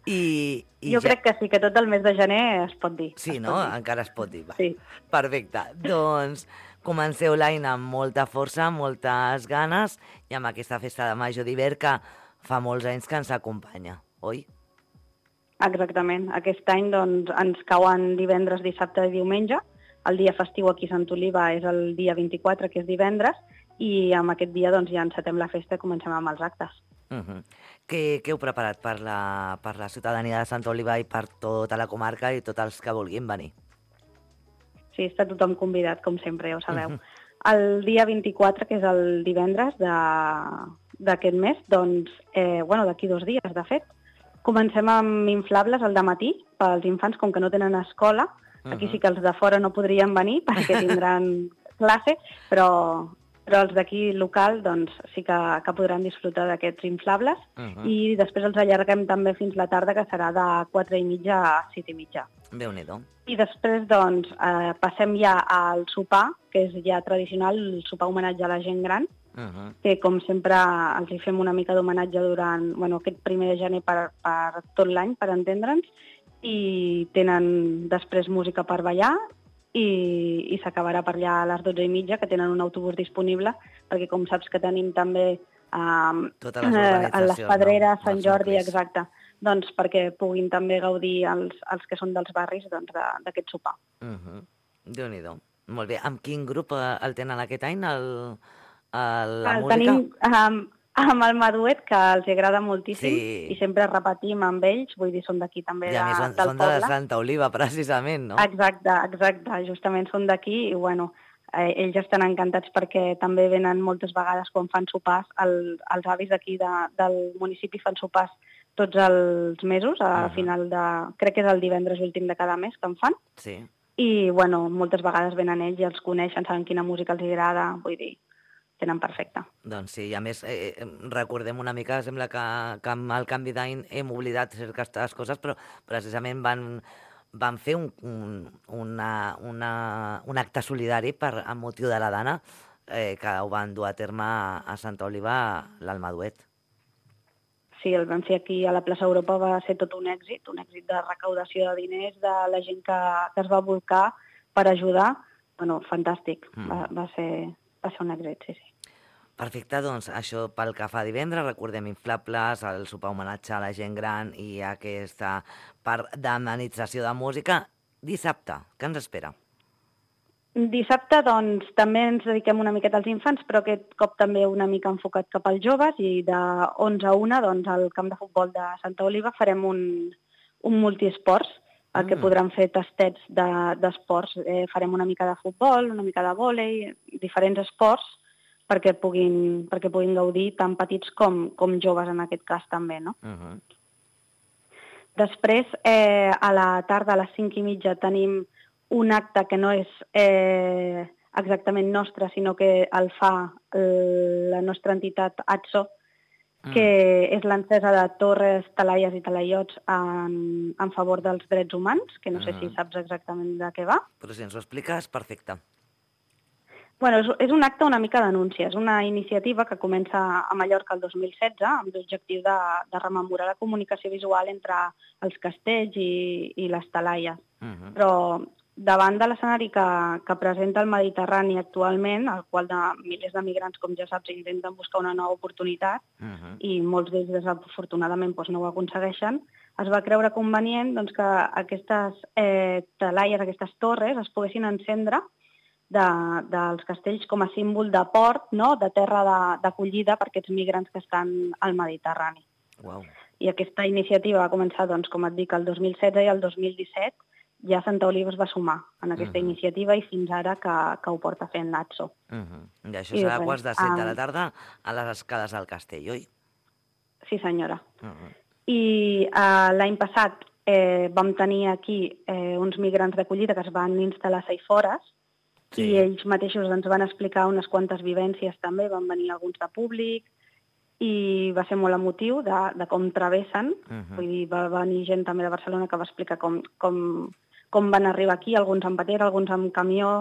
I, i
jo
ja...
crec que sí, que tot el mes de gener es pot dir.
Sí,
es
no?
Dir.
Encara es pot dir. Va.
Sí.
Perfecte. Doncs comenceu l'any amb molta força, moltes ganes, i amb aquesta festa de major d'hivern que fa molts anys que ens acompanya, oi?
Exactament. Aquest any doncs, ens cauen divendres, dissabte i diumenge. El dia festiu aquí a Sant Oliva és el dia vint-i-quatre, que és divendres, i amb aquest dia doncs, ja encetem la festa i comencem amb els actes.
Uh -huh. Què, què heu preparat per la, per la ciutadania de Santa Oliva i per tota la comarca i tots els que vulguin venir?
Sí, està tothom convidat, com sempre, ja ho sabeu. Uh -huh. El dia vint-i-quatre, que és el divendres d'aquest mes, doncs, eh, bueno, d'aquí dos dies, de fet, comencem amb inflables al dematí pels infants, com que no tenen escola. Aquí sí que els de fora no podrien venir perquè tindran classe, però, però els d'aquí local doncs, sí que, que podran disfrutar d'aquests inflables. Uh-huh. I després els allarguem també fins la tarda, que serà de quatre i mitja a set i mitja.
Déu-n'hi-do.
I després doncs, eh, passem ja al sopar, que és ja tradicional, el sopar homenatge a la gent gran, uh-huh. que com sempre els hi fem una mica d'homenatge durant bueno, aquest primer de gener per, per tot l'any, per entendre'ns, i tenen després música per ballar i, i s'acabarà per allà a les dotze i mitja, que tenen un autobús disponible, perquè com saps que tenim també um,
eh,
a les Pedreres,
no?
Sant Jordi, exacte, doncs perquè puguin també gaudir els, els que són dels barris doncs, d'aquest sopar.
Uh-huh. Déu-n'hi-do. Molt bé. Amb quin grup el tenen aquest any, el, el, la
el
música?
Tenim um, amb el Maduet, que els agrada moltíssim,
sí.
i sempre repetim amb ells, vull dir, són d'aquí també, de,
I són,
del
són
poble.
de Santa Oliva, precisament, no?
Exacte, exacte, justament són d'aquí, i bueno, eh, ells estan encantats perquè també venen moltes vegades quan fan sopars, el, els avis d'aquí de, del municipi fan sopars tots els mesos, a uh-huh. final de... crec que és el divendres últim de cada mes que en fan,
sí.
I bueno, moltes vegades venen ells i els coneixen, saben quina música els agrada, vull dir, tenen perfecte.
Doncs sí, i a més, eh, recordem una mica, sembla que, que amb el canvi d'any hem oblidat certes coses, però precisament van, van fer un, un, una, una, un acte solidari per, amb motiu de la Dana, eh, que ho van dur a terme a Santa Oliva, l'Almaduet.
Sí, el vam fer aquí a la plaça Europa, va ser tot un èxit, un èxit de recaudació de diners, de la gent que, que es va volcar per ajudar. Bueno, fantàstic, mm. va, va, ser, va ser un èxit, sí, sí.
Perfecte, doncs això pel que fa a divendres, recordem inflables, el sopar homenatge a la gent gran i aquesta part d'amenització de música. Dissabte, què ens espera?
Dissabte, doncs, també ens dediquem una miqueta als infants, però aquest cop també una mica enfocat cap als joves, i de onze a una, doncs, al camp de futbol de Santa Oliva farem un, un multiesports, el que mm. podran fer tastets d'esports. De, eh, farem una mica de futbol, una mica de vòlei, diferents esports, perquè puguin, perquè puguin gaudir tant petits com, com joves en aquest cas també, no? Uh-huh. Després, eh, a la tarda, a les cinc i mitja, tenim un acte que no és eh, exactament nostre, sinó que el fa la nostra entitat A T S O, que mm. és l'encesa de torres, talaies i talaiots en, en favor dels drets humans, que no sé mm. si saps exactament de què va.
Però si ens ho expliques, perfecte.
Bueno, és, és un acte una mica d'anúncia, és una iniciativa que comença a Mallorca el dos mil setze amb l'objectiu de, de rememorar la comunicació visual entre els castells i, i les talaies. Uh-huh. Però davant de l'escenari que, que presenta el Mediterrani actualment, al qual de milers de migrants, com ja saps, intenten buscar una nova oportunitat, uh-huh. i molts d'ells desafortunadament doncs, no ho aconsegueixen, es va creure convenient doncs, que aquestes eh, talaies, aquestes torres, es poguessin encendre de, dels castells com a símbol de port, no?, de terra d'acollida per aquests migrants que estan al Mediterrani.
Wow.
I aquesta iniciativa va començar, doncs, com et dic, el dos mil setze, i el dos mil disset ja Santa Oliva es va sumar en aquesta uh-huh. iniciativa, i fins ara que, que ho porta fent l'A T S O.
Uh-huh. I això serà a quarts de set de la tarda a les escales del castell, oi?
Sí, senyora.
Uh-huh.
I eh, l'any passat eh, vam tenir aquí eh, uns migrants d'acollida que es van instal·lar a Saifores, sí. I ells mateixos ens van explicar unes quantes vivències també, van venir alguns de públic, i va ser molt emotiu de, de com travessen. Uh-huh. Vull dir, va venir gent també de Barcelona que va explicar com, com, com van arribar aquí, alguns amb patera, alguns amb camió,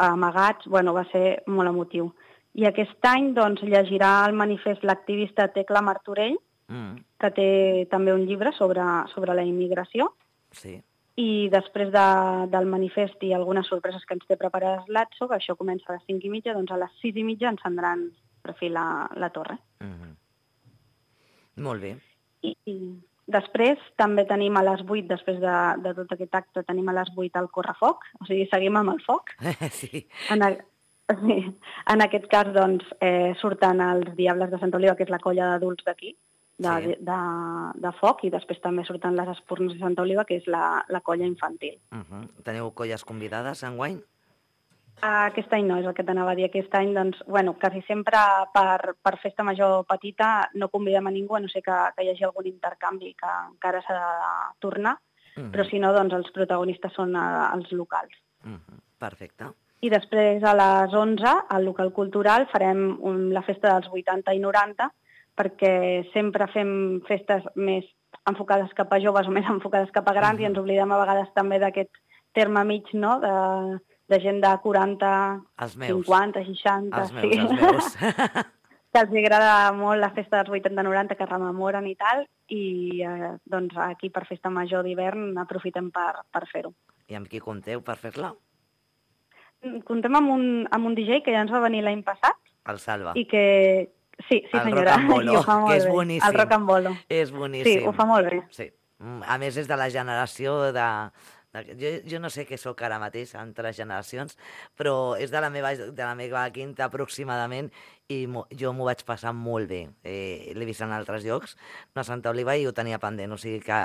amagats. Bueno, va ser molt emotiu. I aquest any doncs, llegirà el manifest l'activista Tecla Martorell, mm. que té també un llibre sobre, sobre la immigració.
Sí.
I després de, del manifest i algunes sorpreses que ens té preparades l'Atso, que això comença a les cinc i mitja, doncs a les sis i mitja encendran per fi la, la torre.
Mm-hmm. Molt bé.
I, I després també tenim a les vuit, després de, de tot aquest acte, tenim a les vuit el correfoc, o sigui, seguim amb el foc.
Sí.
En, a, sí. En aquest cas, doncs, eh, surten els Diables de Sant Oliva, que és la colla d'adults d'aquí, de, sí. de, de, de foc, i després també surten les Espurnes de Sant Oliva, que és la, la colla infantil.
Uh-huh. Teniu colles convidades enguany?
Aquest any no, és el que t'anava a dir. Aquest any, doncs, bueno, quasi sempre per, per festa major petita no convidem a ningú, a no ser que, que hi hagi algun intercanvi que encara s'ha de tornar, uh-huh. però si no, doncs els protagonistes són uh, els locals.
Uh-huh. Perfecte.
I després a les onze, al local cultural, farem un, la festa dels vuitanta i noranta, perquè sempre fem festes més enfocades cap a joves o més enfocades cap a grans, uh-huh. i ens oblidem a vegades també d'aquest terme mig, no?, de... de gent de quaranta, cinquanta, seixanta...
Els meus, sí. els meus.
Que els agrada molt la festa dels vuitanta noranta, que rememoren i tal, i eh, doncs aquí per festa major d'hivern aprofitem per, per fer-ho.
I amb qui compteu per fer-la?
Contem amb un, amb un D J que ja ens va venir l'any passat.
El Salva.
I que... Sí, sí
el
senyora.
El Rock and Bolo, que és
bé.
boníssim.
El Rock and Bolo.
És boníssim.
Sí, ho fa molt bé.
Sí. A més, és de la generació de... Jo, jo no sé què sóc ara mateix entre generacions, però és de la meva, de la meva quinta aproximadament, i mo, jo m'ho vaig passar molt bé. Eh, L'he vist en altres llocs, no a Santa Oliva, i ho tenia pendent. O sigui que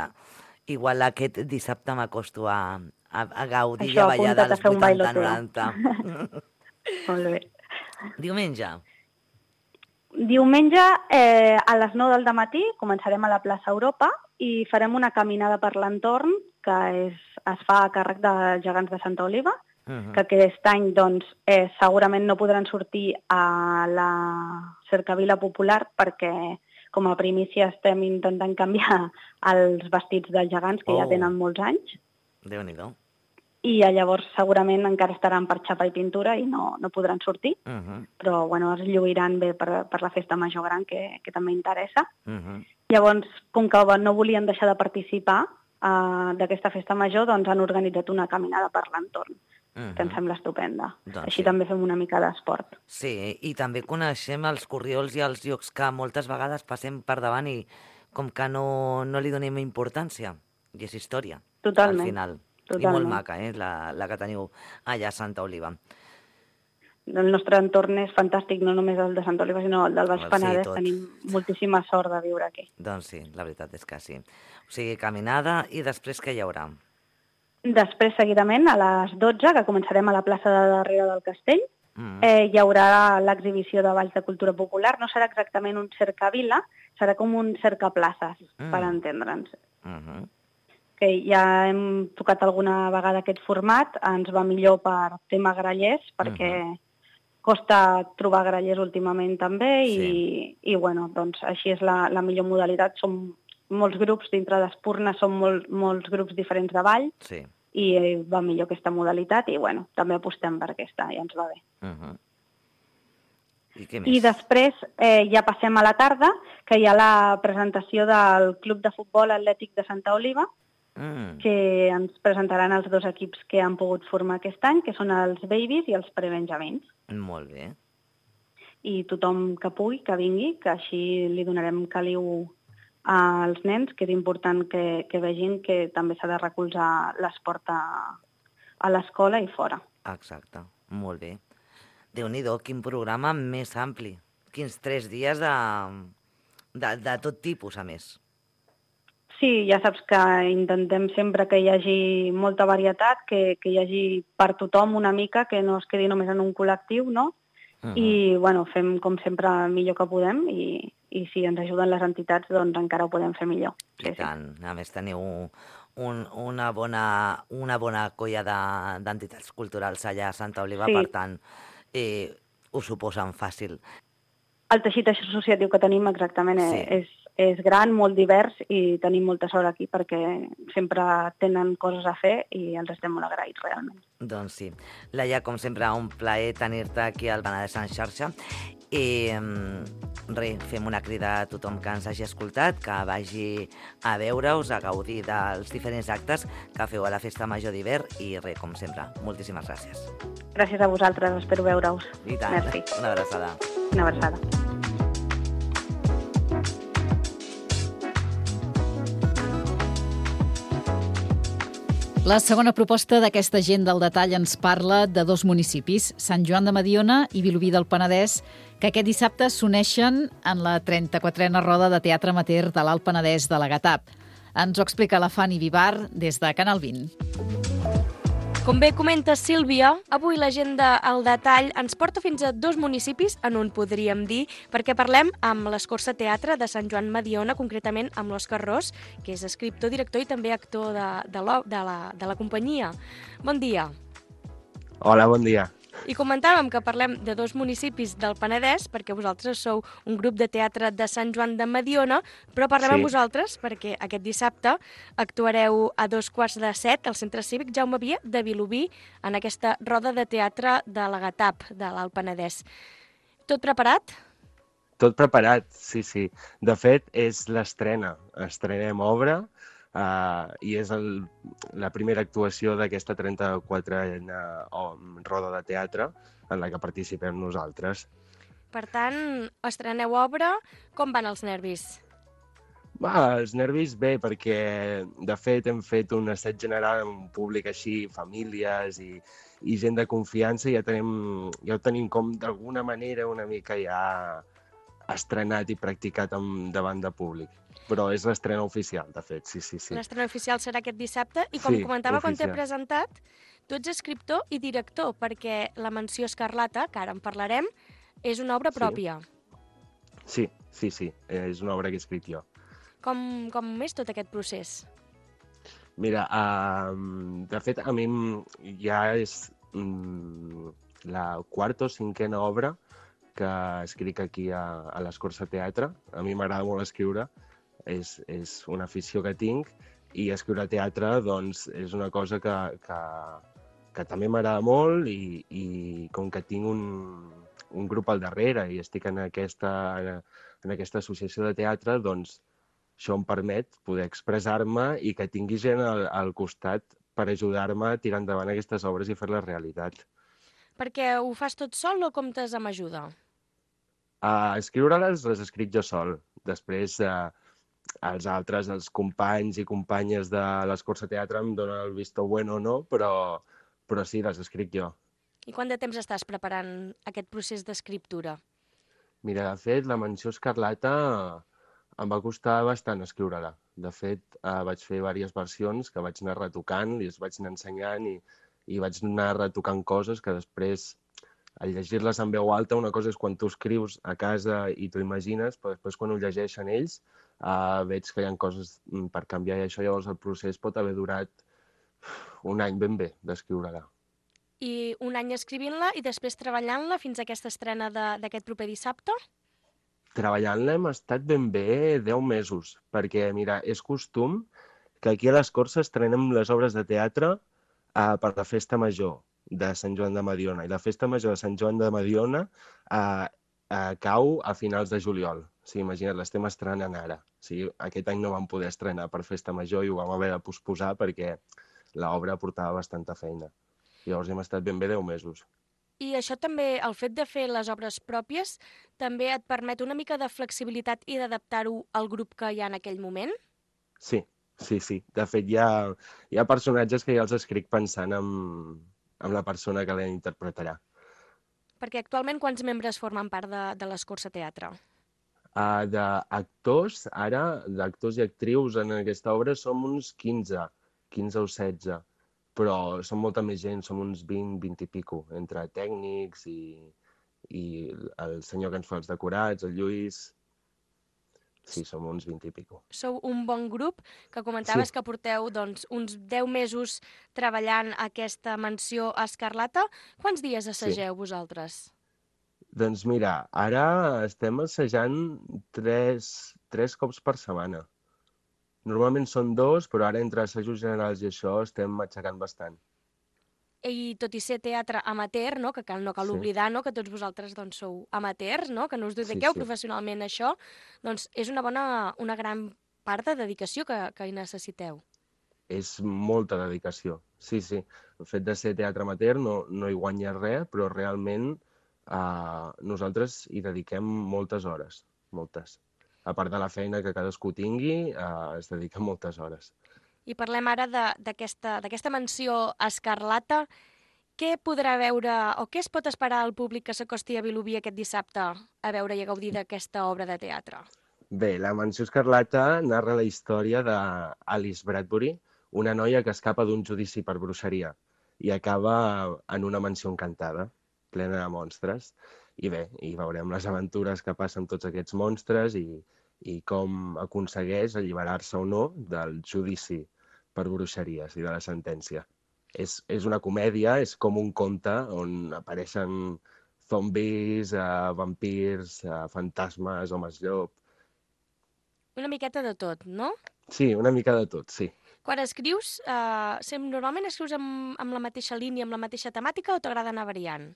igual aquest dissabte m'acosto a, a, a gaudir i a ballar dels vuitanta noranta.
Molt bé.
Diumenge.
Diumenge, eh, a les nou del dematí, començarem a la plaça Europa i farem una caminada per l'entorn que és, es fa a càrrec de Gegants de Santa Oliva, uh-huh. que aquest any doncs, eh, segurament no podran sortir a la cercavila popular perquè com a primícia estem intentant canviar els vestits dels gegants, que oh. ja tenen molts anys.
Déu-n'hi-do.
I llavors segurament encara estaran per xapa i pintura i no, no podran sortir, uh-huh. però bueno, es lluiran bé per, per la festa major gran, que, que també interessa. Uh-huh. Llavors, com que no volien deixar de participar uh, d'aquesta festa major, doncs han organitzat una caminada per l'entorn, uh-huh. que em sembla estupenda. Doncs Així sí. també fem una mica d'esport.
Sí, i també coneixem els corriols i els llocs que moltes vegades passem per davant i com que no, no li donem importància, i és història.
Totalment.
Al final.
Totalment.
I molt maca, eh, la, la que teniu allà a Santa Oliva.
El nostre entorn és fantàstic, no només el de Santa Oliva, sinó el del Baix Penedès. Sí, tenim moltíssima sort de viure aquí.
Doncs sí, la veritat és que sí. O sigui, caminada, i després què hi haurà?
Després, seguidament, a les dotze, que començarem a la plaça de darrere del castell, mm. eh, hi haurà l'exhibició de balls de cultura popular. No serà exactament un cercavila, serà com un cercaplaces, mm. per entendre'ns. Mm-hmm. Que ja hem tocat alguna vegada aquest format, ens va millor per tema grallers, perquè uh-huh. costa trobar grallers últimament també, sí. i, i bueno, doncs així és la, la millor modalitat. Som molts grups dintre d'Espurna, som molt, molts grups diferents de ball, sí. i va millor aquesta modalitat, i bueno, també apostem per aquesta, ja ens va bé.
Uh-huh. I què més?
I després eh, ja passem a la tarda, que hi ha la presentació del Club de Futbol Atlètic de Santa Oliva, Mm. que ens presentaran els dos equips que han pogut formar aquest any, que són els Babies i els Prebenjamins.
Molt bé.
I tothom que pugui, que vingui, que així li donarem caliu als nens, que és important que, que vegin que també s'ha de recolzar l'esport a, a l'escola i fora.
Exacte, molt bé. Déu-n'hi-do, quin programa més ampli. Quins tres dies de, de, de tot tipus, a més.
Sí, ja saps que intentem sempre que hi hagi molta varietat, que, que hi hagi per tothom una mica, que no es quedi només en un col·lectiu, no? Uh-huh. I, bueno, fem com sempre el millor que podem i, i si ens ajuden les entitats, doncs encara ho podem fer millor.
I tant. A més, teniu un, una, bona, una bona colla d'entitats culturals allà a Santa Oliva, sí. Per tant, eh, ho suposen fàcil.
El teixit associatiu que tenim exactament sí. és, és gran, molt divers, i tenim molta sort aquí perquè sempre tenen coses a fer i ens estem molt agraïts realment.
Doncs sí. Laia, com sempre, un plaer tenir-te aquí al Penedès en xarxa. I res, fem una crida a tothom que ens hagi escoltat, que vagi a veure-us, a gaudir dels diferents actes que feu a la Festa Major d'hivern, i res, com sempre, moltíssimes gràcies.
Gràcies a vosaltres, espero veure-us.
I tant, merci. Una abraçada.
Una abraçada.
La segona proposta d'aquesta agenda al detall ens parla de dos municipis, Sant Joan de Mediona i Vilobí del Penedès, que aquest dissabte s'uneixen en la trenta-quatrena roda de teatre amateur de l'Alt Penedès de la Gatap. Ens ho explica la Fanny Vivar des de Canal vint.
Com bé comenta Sílvia, avui l'agenda al detall ens porta fins a dos municipis, en un podríem dir, perquè parlem amb l'Escorça Teatre de Sant Joan Mediona, concretament amb l'Òscar Ros, que és escriptor, director i també actor de, de, la, de, la, de la companyia. Bon dia.
Hola, bon dia.
I comentàvem que parlem de dos municipis del Penedès, perquè vosaltres sou un grup de teatre de Sant Joan de Mediona, però parlem sí. amb vosaltres perquè aquest dissabte actuareu a dos quarts de set al Centre Cívic Jaume Via de Vilobí en aquesta roda de teatre de la Gatap, de l'Alt Penedès. Tot preparat?
Tot preparat, sí, sí. De fet, és l'estrena. Estrenem obra, Uh, i és el, la primera actuació d'aquesta trenta-quatrena roda de teatre en la que participem nosaltres.
Per tant, estreneu obra. Com van els nervis?
Va, els nervis bé, perquè de fet hem fet un assaig general amb un públic així, famílies i, i gent de confiança, i ja, tenim, ja ho tenim com d'alguna manera una mica ja estrenat i practicat amb, davant de públic. Però és l'estrena oficial, de fet, sí, sí, sí.
L'estrena oficial serà aquest dissabte, i com
sí,
comentava
oficial.
Quan t'he presentat, tu ets escriptor i director, perquè La Mansió Escarlata, que ara en parlarem, és una obra pròpia.
Sí, sí, sí, és una obra que he escrit jo.
Com, com és tot aquest procés?
Mira, uh, de fet, a mi ja és um, la quarta o cinquena obra que escric aquí a, a l'Escorça Teatre. A mi m'agrada molt escriure, és, és una afició que tinc, i escriure teatre doncs, és una cosa que, que, que també m'agrada molt, i, i com que tinc un, un grup al darrere i estic en aquesta, en aquesta associació de teatre, doncs això em permet poder expressar-me i que tingui gent al, al costat per ajudar-me a tirar endavant aquestes obres i fer-les realitat.
Perquè ho fas tot sol o comptes amb ajuda?
A escriure-les les escric jo sol. Després eh, els altres, els companys i companyes de l'Escorça Teatre em donen el visto bueno o no, però, però sí, les escric jo.
I quant de temps estàs preparant aquest procés d'escriptura?
Mira, de fet, La Mansió Escarlata em va costar bastant escriure-la. De fet, eh, vaig fer diverses versions que vaig anar retocant i els vaig anar ensenyant, i, i vaig anar retocant coses que després, al llegir-les en veu alta, una cosa és quan tu escrius a casa i t'ho imagines, però després quan ho llegeixen ells uh, veig que hi ha coses per canviar, i això llavors el procés pot haver durat un any ben bé d'escriure-la.
I un any escrivint-la i després treballant-la fins a aquesta estrena d'aquest proper dissabte?
Treballant-la hem estat ben bé deu mesos, perquè mira, és costum que aquí a l'Escorça estrenem les obres de teatre uh, per la Festa Major de Sant Joan de Mediona, i la Festa Major de Sant Joan de Mediona eh, eh, cau a finals de juliol. O sigui, imagina't, l'estem estrenant ara. O sigui, aquest any no vam poder estrenar per Festa Major i ho vam haver de posposar perquè l'obra portava bastanta feina. Llavors hem estat ben bé deu mesos.
I això també, el fet de fer les obres pròpies, també et permet una mica de flexibilitat i d'adaptar-ho al grup que hi ha en aquell moment?
Sí, sí, sí. De fet, hi ha, hi ha personatges que ja els escric pensant en amb la persona que l'interpretarà.
Perquè actualment quants membres formen part de, de l'Escorça Teatre?
Uh, d'actors, ara, d'actors i actrius en aquesta obra som uns quinze, quinze o setze, però som molta més gent, som uns vint, vint i pico, entre tècnics i, i el senyor que ens fa els decorats, el Lluís. sí, som uns vint i pico.
Sou un bon grup, que comentaves
Sí.
que porteu doncs, uns deu mesos treballant aquesta mansió Escarlata. Quants dies assageu sí. vosaltres?
Doncs mira, ara estem assajant tres, tres cops per setmana. Normalment són dos, però ara entre assajos generals i això estem aixecant bastant.
I tot i ser teatre amateur, no? que cal, no cal
Sí.
oblidar no? que tots vosaltres doncs, sou amateurs, no? que no us dediqueu
Sí, sí.
professionalment a això, doncs és una bona, una gran part de dedicació que, que hi necessiteu.
És molta dedicació, sí, sí. El fet de ser teatre amateur no, no hi guanya res, però realment eh, nosaltres hi dediquem moltes hores, moltes. A part de la feina que cadascú tingui, eh, es dedica moltes hores.
I parlem ara d'aquesta mansió Escarlata. Què podrà veure o què es pot esperar al públic que s'acosti a Vilobí aquest dissabte a veure i a gaudir d'aquesta obra de teatre?
Bé, la mansió Escarlata narra la història d'Alice Bradbury, una noia que escapa d'un judici per bruixeria i acaba en una mansió encantada, plena de monstres. I bé, hi veurem les aventures que passen amb tots aquests monstres i, i com aconsegueix alliberar-se o no del judici per bruixeries i de la sentència. És, és una comèdia, és com un conte on apareixen zombis, eh, vampirs, eh, fantasmes, homes llop.
Una miqueta de tot, no?
Sí, una mica de tot, sí.
Quan escrius, eh, sem- normalment escrius amb, amb la mateixa línia, amb la mateixa temàtica o t'agrada anar variant?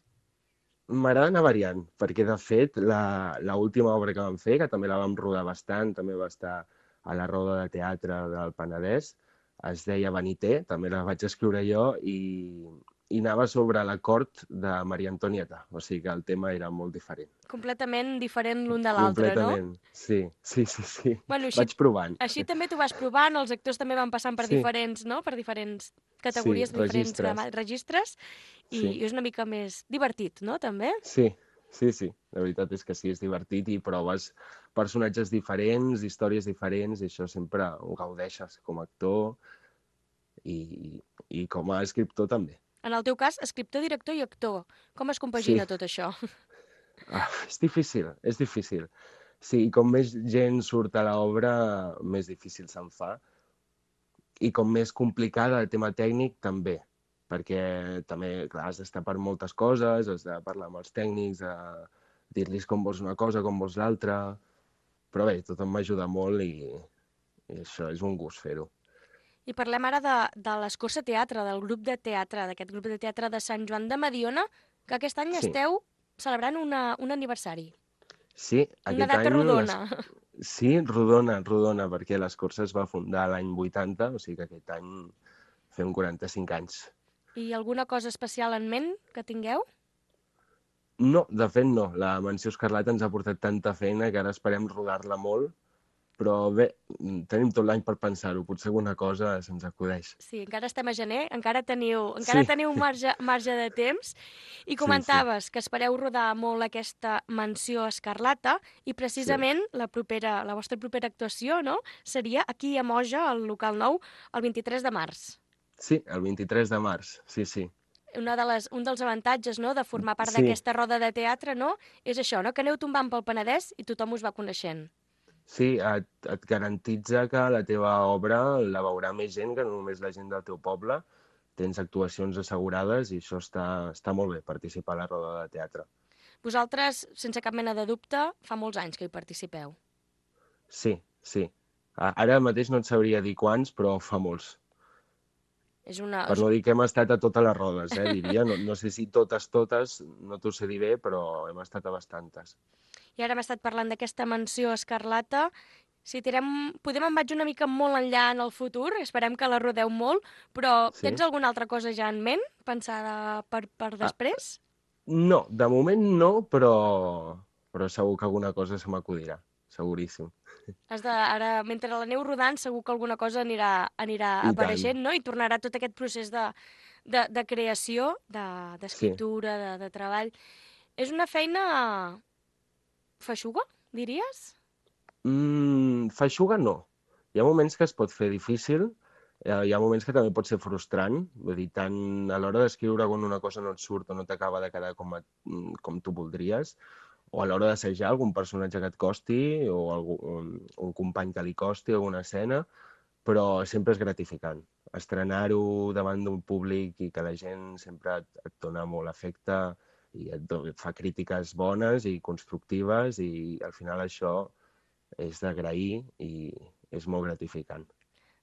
M'agrada anar variant, perquè de fet la, la última obra que vam fer, que també la vam rodar bastant, també va estar a la Roda de Teatre del Penedès, es deia Vanité, també la vaig escriure jo, i, i anava sobre la cort de Maria Antonieta, o sigui que el tema era molt diferent.
Completament diferent l'un de l'altre, no?
Completament, sí, sí, sí, sí.
Bueno, així,
vaig provant.
Així també t'ho vas provant, els actors també van passant per
Sí.
diferents, no? Per diferents categories,
Sí,
diferents
registres.
grama- registres, i,
Sí.
i és una mica més divertit, no? També?
Sí, sí, sí. La veritat és que sí, és divertit i proves personatges diferents, històries diferents, i això sempre ho gaudeixes com a actor i, i com a escriptor també.
En el teu cas, escriptor, director i actor. Com es compagina
Sí.
tot això?
Ah, és difícil, és difícil. Sí, i com més gent surt a l'obra, més difícil se'n fa. I com més complicada el tema tècnic, també. Perquè també, clar, has d'estar per moltes coses, has de parlar amb els tècnics, a dir-los com vols una cosa, com vols l'altra. Però bé, tothom m'ajuda molt i, i això és un gust fer-ho.
I parlem ara de, de l'Escorça Teatre, del grup de teatre, d'aquest grup de teatre de Sant Joan de Mediona, que aquest any
Sí.
esteu celebrant una, un aniversari.
Sí,
Una
aquest
data
any...
rodona.
Les... Sí, rodona, rodona, perquè l'Escorça es va fundar l'any vuitanta, o sigui que aquest any fem quaranta-cinc anys.
I alguna cosa especial en ment que tingueu?
No, de fet no. La Mansió Escarlata ens ha portat tanta feina que ara esperem rodar-la molt, però bé, tenim tot l'any per pensar-ho. Potser alguna cosa se'ns acudeix.
Sí, encara estem a gener, encara teniu, encara
Sí.
teniu marge, marge de temps. I comentaves que espereu rodar molt aquesta Mansió Escarlata i precisament la propera, la vostra propera actuació, no?, seria aquí a Moja, al local nou, el vint-i-tres de març.
Sí, el vint-i-tres de març, sí, sí.
Una de les, un dels avantatges, no?, de formar part
Sí.
d'aquesta roda de teatre, no?, és això, no?, que aneu tombant pel Penedès i tothom us va coneixent.
Sí, et, et garantitza que la teva obra la veurà més gent que no només la gent del teu poble. Tens actuacions assegurades i això està, està molt bé, participar a la roda de teatre.
Vosaltres, sense cap mena de dubte, fa molts anys que hi participeu.
Sí, sí. A- Ara mateix no et sabria dir quants, però fa molts.
És una...
Per no dir que hem estat a totes les rodes, eh, diria. No, no sé si totes, totes, no t'ho sé dir bé, però hem estat a bastantes.
I ara hem estat parlant d'aquesta Mansió Escarlata. Si tirem, podem en vaig una mica molt enllà en el futur, esperem que la rodeu molt, però
Sí.
tens alguna altra cosa ja en ment, pensada per, per després?
No, de moment no, però, però segur que alguna cosa se m'acudirà, seguríssim.
Has de, ara, mentre l'aneu rodant, segur que alguna cosa anirà, anirà
I
apareixent,
tant.
no? I tornarà tot aquest procés de, de, de creació, de- d'escriptura, de, de treball. És una feina feixuga, diries?
Mm, feixuga no. Hi ha moments que es pot fer difícil, eh, hi ha moments que també pot ser frustrant, vull dir, tant a l'hora d'escriure quan una cosa no et surt o no t'acaba de quedar com, a, mm, com tu voldries, o a l'hora d'assajar algun personatge que et costi o algun, un company que li costi alguna escena, però sempre és gratificant. Estrenar-ho davant d'un públic i que la gent sempre et, et dona molt afecte i et, et fa crítiques bones i constructives i al final això és d'agrair i és molt gratificant.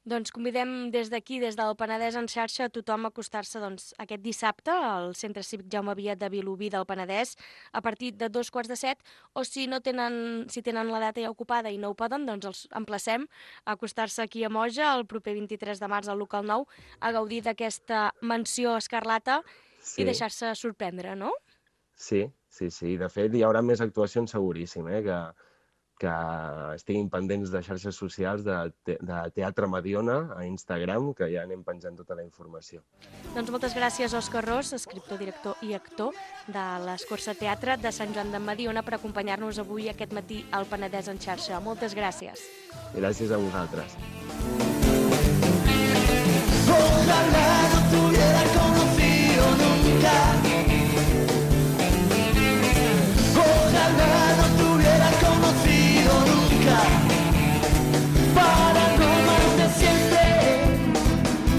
Doncs convidem des d'aquí, des del Penedès en xarxa, a tothom a acostar-se doncs, aquest dissabte al Centre Cívic Jaume Viet de Vilobí del Penedès a partir de dos quarts de set, o si no tenen, si tenen la data ja ocupada i no ho poden, doncs els emplacem a acostar-se aquí a Moja el proper vint-i-tres de març al local nou a gaudir d'aquesta menció escarlata sí. I deixar-se sorprendre, no?
Sí, sí, sí. De fet, hi haurà més actuacions seguríssim, eh? que, que estiguin pendents de xarxes socials de, de Teatre Mediona a Instagram, que ja anem penjant tota la informació.
Doncs moltes gràcies, Òscar Ros, escriptor, director i actor de l'Escorça Teatre de Sant Joan de Mediona, per acompanyar-nos avui aquest matí al Penedès en xarxa. Moltes gràcies.
Gràcies a vosaltres.
Ojalá no te hubiera conocido nunca. Ojalá no te hubiera conocido nunca. Para no amarte siempre,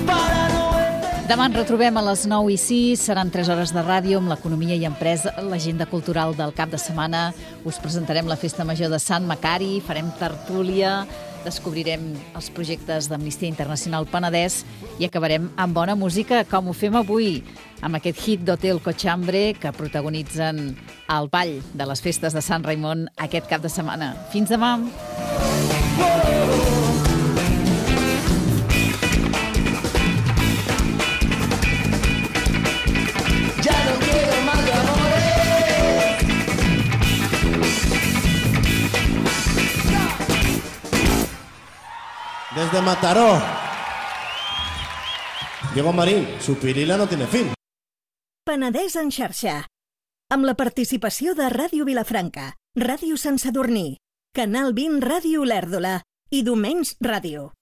para no verte.
Demà ens retrobem a les nou i sis, seran tres hores de ràdio amb l'economia i empresa, l'agenda cultural del cap de setmana. Us presentarem la Festa Major de Sant Macari, farem tertúlia, descobrirem els projectes d'Amnistia Internacional Penedès i acabarem amb bona música, com ho fem avui, amb aquest hit d'Hotel Cochambre que protagonitzen el ball de les festes de Sant Raimon aquest cap de setmana. Fins demà!
Desde Mataró, Diego Marín, su pirila no tiene fin.
Penedès en xarxa, amb la participació de Ràdio Vilafranca, Ràdio Sant Sadurní, Canal vint Ràdio Olèrdola i Domens Ràdio.